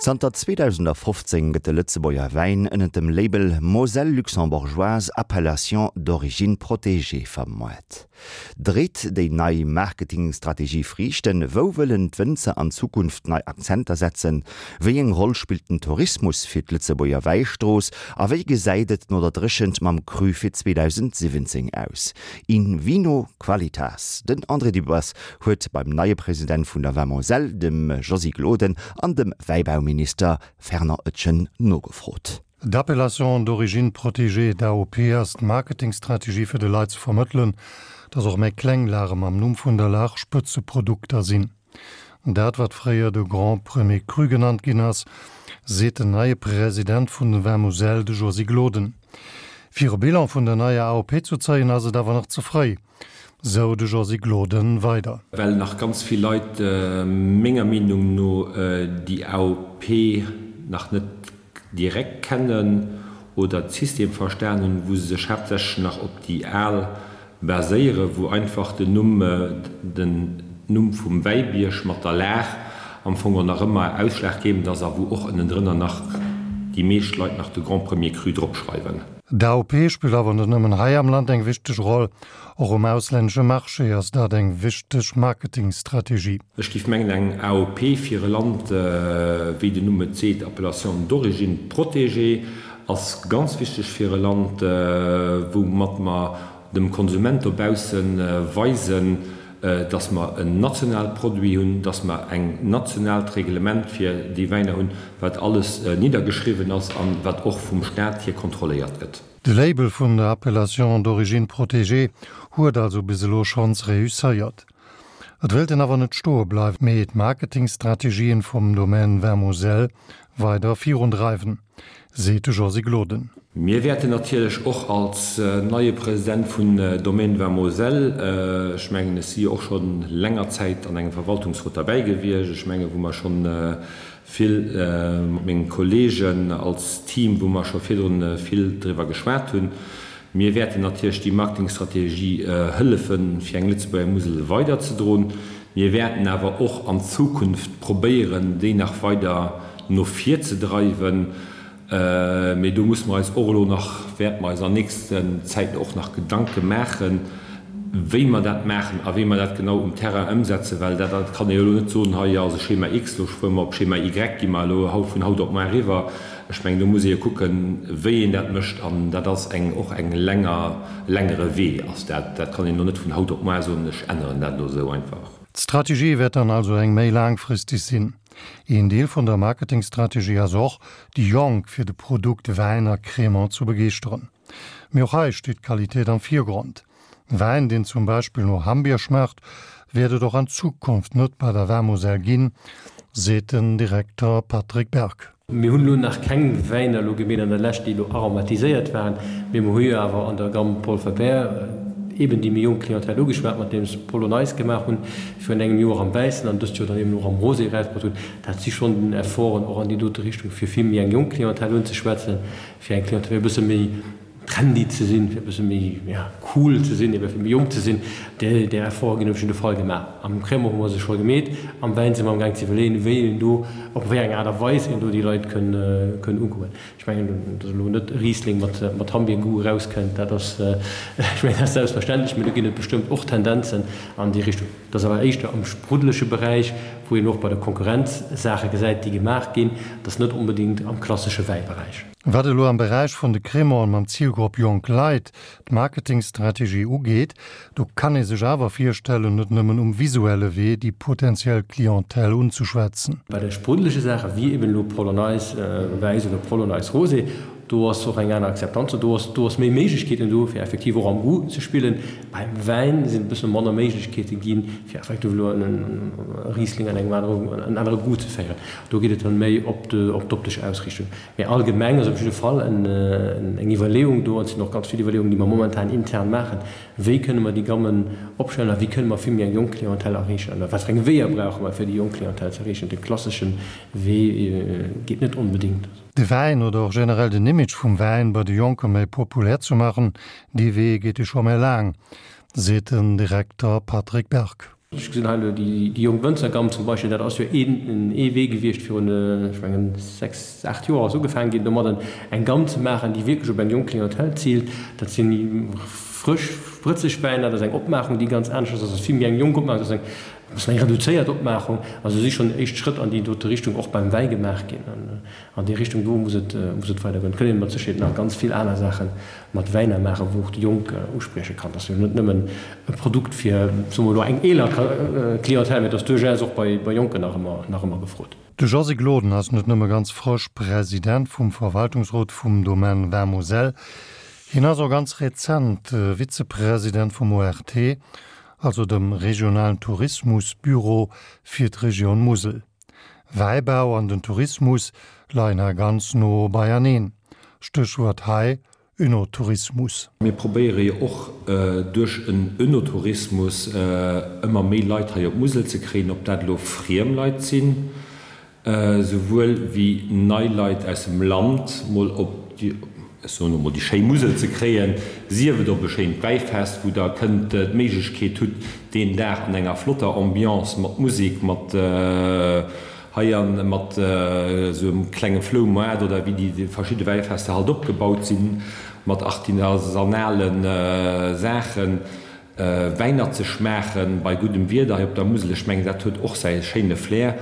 Zanter 2015 gëtt de Lëtzebuerger Wäin ënnert dem Label Moselle Luxembourgeoise Appellation d'origine protégée vermoart. Dréit déi nei Marketingstrategie Friichten? Wou wëllen d'Wënzer an Zukunft nei Akzenter setzen? Wéi eng Roll spillt den Tourismus fir d'Lëtzebuerger Wäistrooss? A wéi gesäit et no der Dréchent mam Cru fir 2017 aus? In vino qualitas? Den André Dübbers huet beim neie President vun der Vin Moselle, dem Josy Gloden, an dem Wäibauminister Fernand Etgen nogefrot. D'Appellation d'origine protégée, d'AOP, ass d'Marketingstrategie fir de Leit ze vermëttelen, datt och méi kleng Lage mam Numm vun der Lag Spëtzeprodukter sinn. Dat wat fréier de Grand Premier Cru genannt ginn ass, seet den neie President vun den Vin Moselle, de Josy Gloden. Fir e Bilan vun der neier AOP zu zéien ass et awer nach ze fréi, sou de Josy Gloden weider. Well nach ganz vill Leit menger Meenung no déi AOP nach net direkt kennen oder d'System verstan hunn, wou se sech haaptsächlech nach op déi al baséieren, wou einfach den Numm, den Numm vum Wäibierg mat der Lag am Fong och nach ëmmer ausschlaggebend ass a wou och ënnendrënner nach déi meescht Leit nach de Grand Premier Cru dropschreiwen. D'AOP spillt awer net nëmmen hei am Land eng wichteg Roll, och um auslännesche Marché ass dat eng wichteg Marketingstrategie. Ech géif mengen, eng AOP fir e Land, wéi den Numm et seet, Appellation d'origine protégée, ass ganz wichteg fir e Land, woumat mer dem Konsument dobausse weisen, dass mer en nationale Produit hunn, dass mer eng nationaalt Reglement fir déi Wäiner hunn, wat alles niddergeschriwwen ass an wat och vum Staat hier kontrolléiert gëtt. De Label vun der Appellation d'origine protégée huet also bis elo schonns reusséiert. Et wéilt een awer net stoe bleiwen, mee d'Marketingstrategien vum Domaine Vin Moselle weider virundreiwen, seet de Josy Gloden. Mir wäerten natierlech och als neie President vun Domaine Vin Moselle, ech mengen, ech si jo och scho länger Zäit an engem Verwaltungsrot derbäi gewiescht, ech mengen, wou mer scho vill mat menge Kollegen als Team, wou mer scho virdrun vill driwwer geschwat hunn, Mir wäerten natierlech déi Marketingstrategie hëllefen, fir eng Lëtzebuerger Musel weiderzedroen. Mir wäerten awer och an Zukunft probéieren, déi nach weider no vir ze dreiwen. Mee do musse mer eis och elo nach, wäerte mer eis an nächsten Zäiten och nach Gedanke maachen, wéi mer dat maachen a wéi mer dat genau um Terrain ëmsetzen, well dat kann ee jo elo net soen, hei ass e Schema X, elo fuere mer op Schema Y, gi mer elo haut vun haut op muar eriwwer. Ech mengen, do muss ee jo kucken, wéi een dat mécht, an dat ass eng och eng länger, e längere Wee ass dat. Dat kann een elo net vun haut op muar soen, ech änneren dat elo esou einfach. D'Strategie wäert dann also eng méi laangfristeg sinn. Een Deel vun der Marketingstrategie ass och, déi Jonk fir de Produkt Wäin a Cremant zu begeeschteren. Mee och hei steet d'Qualitéit am Virgrond. Wäin, deen zum Beispill no Hammbier schmaacht, wäert et och an Zukunft net bei der Vin-Moselle ginn, seet den Direkter Patrick Berg. Mir hunn elo nach keng Wäiner elo gemeet an der Lescht, déi elo aromatiséiert waren, mee mer hu jo awer an der Gamme Paul Faber eben déi méi jonk Clientèle ugeschwat, mat deem se Polo Nice gemaach hunn virun engem Joer am Wäissen an dëst Joer dann eben och am Rosé erausbruet hunn. Dat si schonn Efforten och an déi dote Richtung, fir vill méi eng jonk Clientèle unzeschwätzen, fir eng Clientèle, fir e bësse méi trendy ze sinn, fir e bësse méi, ja, cool ze sinn, ebe fir méi jonk ze sinn, där, där Efforte ginn op jidde Fall gemaach. Am Crémant hu mer se scho gemeet, am Wäin si mer amgaang ze iwwerleeën, wéi een do, op wéi eng Aart a Weis een do déi Leit kënn, kënn ugoen. Ech mengen, datt elo net e Riesling mat, mat Hammbier-Goût erauskënnt, dat ass, ech mengen, dat ass selbstverständlech, mee do ginn et bestëmmt och Tendenzen an déi Richtung. Dat ass awer éischter am spruddelege Beräich, wou een och bei der Konkurrenz Saache gesäit, déi gemaach ginn. Dat ass net onbedéngt am klassesche Wäiberäich. Wat elo am Beräich vun de Crémanten mam Zilgrupp jonk Leit d'Marketingstrategie ugeet, do kann ee sech awer virstellen, net nëmmen um visuelle Wee déi potentiell Clientèle unzeschwätzen. Bei de spruddelege Saache wéi eben elo Polonaise wäiss oder Polonaise rosé, do ass och eng aner Akzeptanz do, do ass do ass méi Méiglechkeeten do, fir effektiv och am Goût ze spillen. Beim Wäin sinn e bësse manner Méiglechkeete ginn, fir effektiv elo e Riesling an engem anere en anere Goût ze féieren. Do geet et dann méi op d'optesch Ausriichtung. Mee allgemeng ass op jidde Fall eng Iwwerleeung do, an et sinn och ganz vill Iwwerleeungen, déi mer momentan intern maachen, Wéi kënne mer déi Gammen opstellen a wéi kënne mer vill méi eng jonk Clientèle erreechen? An wat fir eng Weeër brauche mer, fir déi jonk Clientèle ze erreechen? De klassesche Wee geet net onbedéngt. De Wäin oder och generell den Image vum Wäin bei de Jonke méi populär ze maachen, dee Wee geet jo scho méi laang, seet den Direkter Patrick Berg. Ech gesinn hei elo déi jonk Wënzergamm zum Beispill, dat ass jo een ee Wee gewiescht virun, ech mengen, 6, 8 Joer ass ugefaangen ginn domadden, eng Gamm ze maachen, déi wierklech op eng jonk Clientèle ziilt. Dat si frësch, sprëtzeg Wäiner, dat ass eng Opmaachung, déi ganz anescht ass, dat ass vill méi eng jonk Opmaachung, dat ass eng e bëssen eng reduzéiert Opmaachung. Also si schonn éischt Schrëtt an déi dote Richtung och beim Wäi gemaach ginn. An déi Richtung do muss et muss et weidergoen. Et kënnt een mat Sécherheet nach ganz vill aner Saache mat Wäiner maachen, wou och déi Jonk usprieche kann. Dat ass jo net nëmmen e Produkt fir, soe mer elo, eng eeler Clientèle, mä et ass duerchaus och bei bei Jonken nach ëmmer nach ëmmer gefrot. De Josy Gloden ass net nëmme ganz frësch President vum Verwaltungsrot vum Domaine Vin Moselle, hien ass och ganz rezent Vizepresident vum ORT, also dem regionalen Tourismusbüro fir d'Regioun Musel. Wäibau an den Tourismus leien hei ganz no beieneen. Stéchwuert hei, Önotourismus. Mir probéiere jo och duerch en Önotourismus ëmmer méi Leit hei op d'Musel ze kréien, ob dat elo friem Leit sinn, souwuel wéi nei Leit aus dem Land mol op déi, ech soen elo mol, déi schéi Musel ze kréien, sief et op e schéint Wäifest, wou Der kënnt d'Méiglechkeet hutt, deen Dag an enger flotter Ambiance mat Musik, mat hei an mat esou engem klenge Floumoart oder wéi déi verschidde Wäifester halt opgebaut sinn, mat artisanale Saachen, Wäiner ze schmaachen bei guddem Wieder hei op der Musel. Ech mengen, dat huet och säi schéine Flair.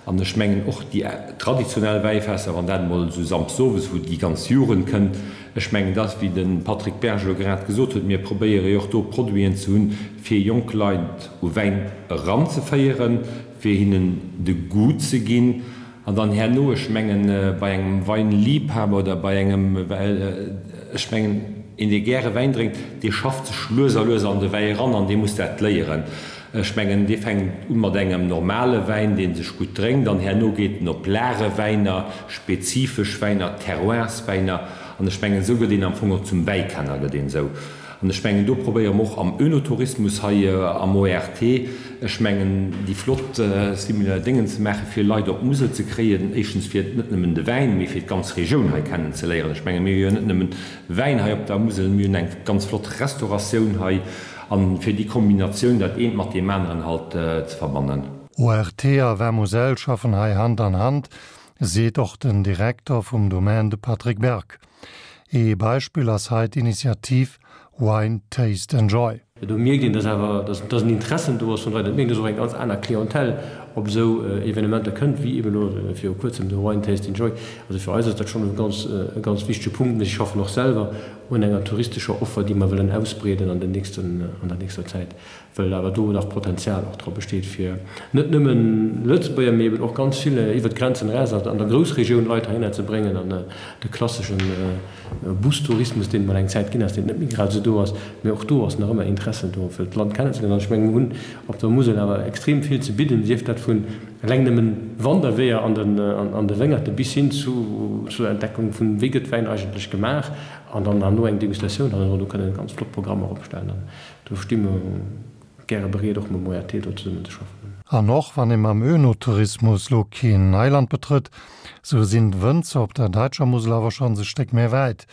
An ech mengen och déi traditionell Wäifester, wann dat emol esou samsdes owes, wou déi ganz Jugend kënnt, Ech mengen, dass, wéi de Patrick Berg elo grad gesot huet, mir probéiere jo och do Produiten ze hunn, fir jonk Leit u Wäin eranzeféieren, fir hinnen de Goût ze ginn. An dann herno, ech mengen, bei engem Weinliebhaber oder bei engem, ech mengen, een, dee gäre Wäin drénkt, dee schafft sech lues a lues an de Wäi eran an dee muss dat léieren. Ech mengen, dee fänkt u mat engem normale Wäin, dee sech gutt drénkt, an herno geet en op Lagewäiner, spezifesch Wäiner, Terroirswäiner. An ech mengen, esou gëtt een am Fong och zum Wäikenner, gëtt een esou. An ech mengen, do probéiere mer och am Oenotourismus hei am ORT, ech mengen, déi flott similaire Déngen ze maachen, fir Leit op d'Musel ze kréien, éischtens fir net nëmmen de Wäin, mee fir d'ganz Regioun hei kennenzeléieren. Ech mengen, mir hu jo net nëmmen Wäin hei op der Musel, mir hunn eng ganz flott Restauratioun hei. An fir déi Kombinatioun, dat eent mat deem aneren halt ze verbannen. ORT a Vin Moselle schaffen hei Hand an Hand, seet och den Direkter vum Domaine, de Patrick Berg. Ee Beispill ass hei d'Initiativ Wine Taste Enjoy. Do mierkt een, dass awer, dass en Interessen do ass vun Leit. Et mierkt een, dass och eng ganz aner Clientèle op esou Evenementer kënnt, wéi eben elo viru kuerzem de Wine Taste Enjoy. Also fir eis ass dat schonn e ganz, e ganz wichtege Punkt. Mir schaffen och selwer un enger touristescher Offer, déi mer wëllen ausbreeden an den nächsten, an der nächster Zäit, well awer do nach Potenzial och dra besteet, fir net nëmmen Lëtzebuerger, mee eben och ganz vill iwwert d'Grenzen eraus an der Groussregioun Leit heihinner ze bréngen an de klasseschen Bustourismus, deen et mol eng Zäit ginn ass, deen net méi grad esou do ass, mee och do ass nach ëmmer Interesse do, fir d'Land kennenzeléieren. An ech mengen, mir hunn op der Musel awer extrem vill ze bidden, sief dat vun eleng nëmmen Wanderweeër an den, an de Wéngerte bis hin zu, zur Entdeckung vun, wéi gëtt Wäin eigentlech gemaach, an dann herno eng Degustatioun hannendrun. Do kënnen ganz flott Programmer opstellen an do sti mer gäre bereet, och mam ORT do zesummen ze schaffen. An och wann ee mam Önotourismus lo keen Neiland betrëtt, sou sinn d'Wënzer op der däitscher Musel awer schonns e Stéck méi wäit,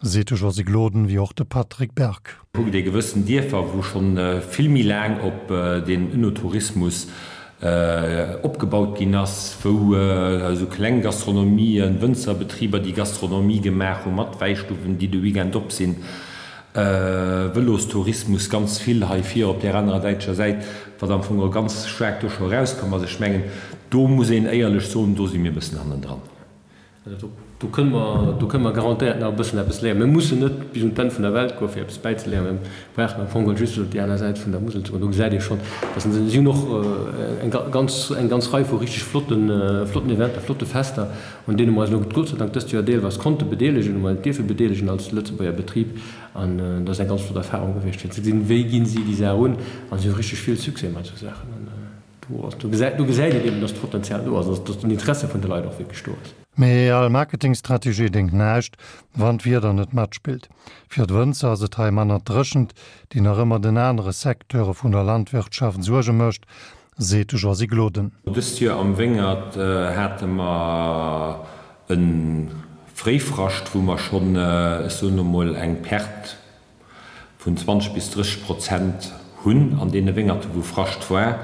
seet de Josy Gloden, wéi och de Patrick Berg. Kuckt ee gewëssen Dierfer, wou schonn vill méi laang op den Önotourismus opgebaut ginn ass, wou esou kleng Gastronomien, Wënzerbetriber, déi Gastronomie gemaach hu mat Wäistuffen, déi de Weekend op sinn, Vëlostourismus ganz vill hei vir op där anerer däitscher Säit, wat am Fong och ganz staark do scho erauskomm ass. Ech mengen, do muss een éierlech soen, do si mir e bëssen hannendran. Also do kënne mer, do kënne mer garantéiert nach e bëssen eppes léieren. Mir mussen net bis un d'Enn vun der Welt goen, fir eppes bäizeléieren. Mir brauchen am Fong geholl just op déi aner Säit vun der Musel ze goen. Do gesäit ee schonn, dass se, si hunn och eng ganz, eng ganz Rei vu richteg flotten, flotten Eventer, flotte Fester, un deene mer eis elo Gott sei Dank dëst Joer deelweis konnte bedeelegen, hu mer eis dierfe bedeelegen als Lëtzebuerger Betrib. An dat ass eng ganz flott Erfahrung gewiescht, fir ze gesinn, wéi ginn si déi Saach un. A si hu richteg vill Succès mat esou Saachen. Do gesäit een eben, dass d'Potenzial do ass, dass den Interesse vun de Leit och wierklech do ass. Mee all Marketingstrategie déngt näischt, wann d'Wieder net matspillt. Fir d'Wënzer ass et hei manner d'Dréchent, déi nach ëmmer den anere Secteure vun der Landwirtschaft Suerge mécht, seet de Josy Gloden. Dëst Joer am Wéngert hate mer e Fréifrascht, wou mer schonn, ech soen elo mol, eng Perte vun 20 bis 30 Prozent hunn an deene Wéngerte wou Frascht war.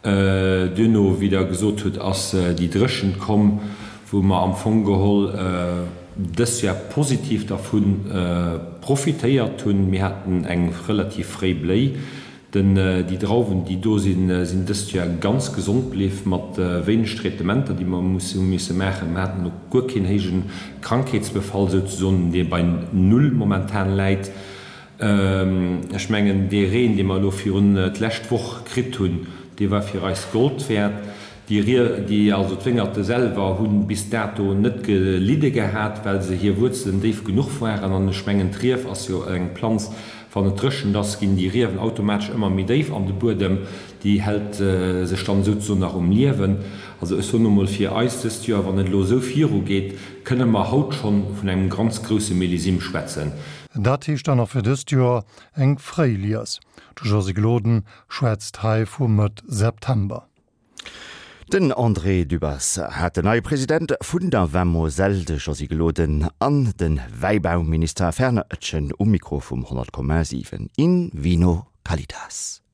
Duerno, wéi Der gesot hutt, ass déi Dréchent komm, wou mer am Fong geholl dës Joer positiv dervu profitéiert hunn. Mir haten eng relativ fréi Bléi. Den, déi Drauwen, déi do sinn, sinn dëst Joer ganz gesond bliw, mat wéineg Traitementer, déi mer hu misse maachen. Mer haten och guer keen héije Krankheetsbefall souzesoen, dee bei null momentan läit. Ech mengen, dee Reen, dee mer elo virun d'lescht Woch kritt hunn, dee war fir eis Gold wäert. Déi Rie, déi, also d'Wéngerte selwer hu bis dato net gelidde gehat, well se hir Wuerzelen déif genuch waren. An ech mengen, d'Rief ass jo eng Planz, wann et dréchent ass, ginn déi Riewen automatesch ëmmer méi déif an de Buedem. Déi hält sech dann souzesoen nach um Liewen. Also ech soen emol, fir eis dëst Joer, wann et elo esou virugeet, kënne mer haut schonn vun engem ganz grousse Millésime schwätzen. Dat heescht dann och fir dëst Joer eng fréi Lies. De Josy Gloden schwätzt hei vu Mëtt September. Den André Dübbers hat den neie President vun der Vin Moselle, de Josy Gloden, an de Wäibauminister Fernand Etgen um Mikro vum 100,7 In Vino Qualitas.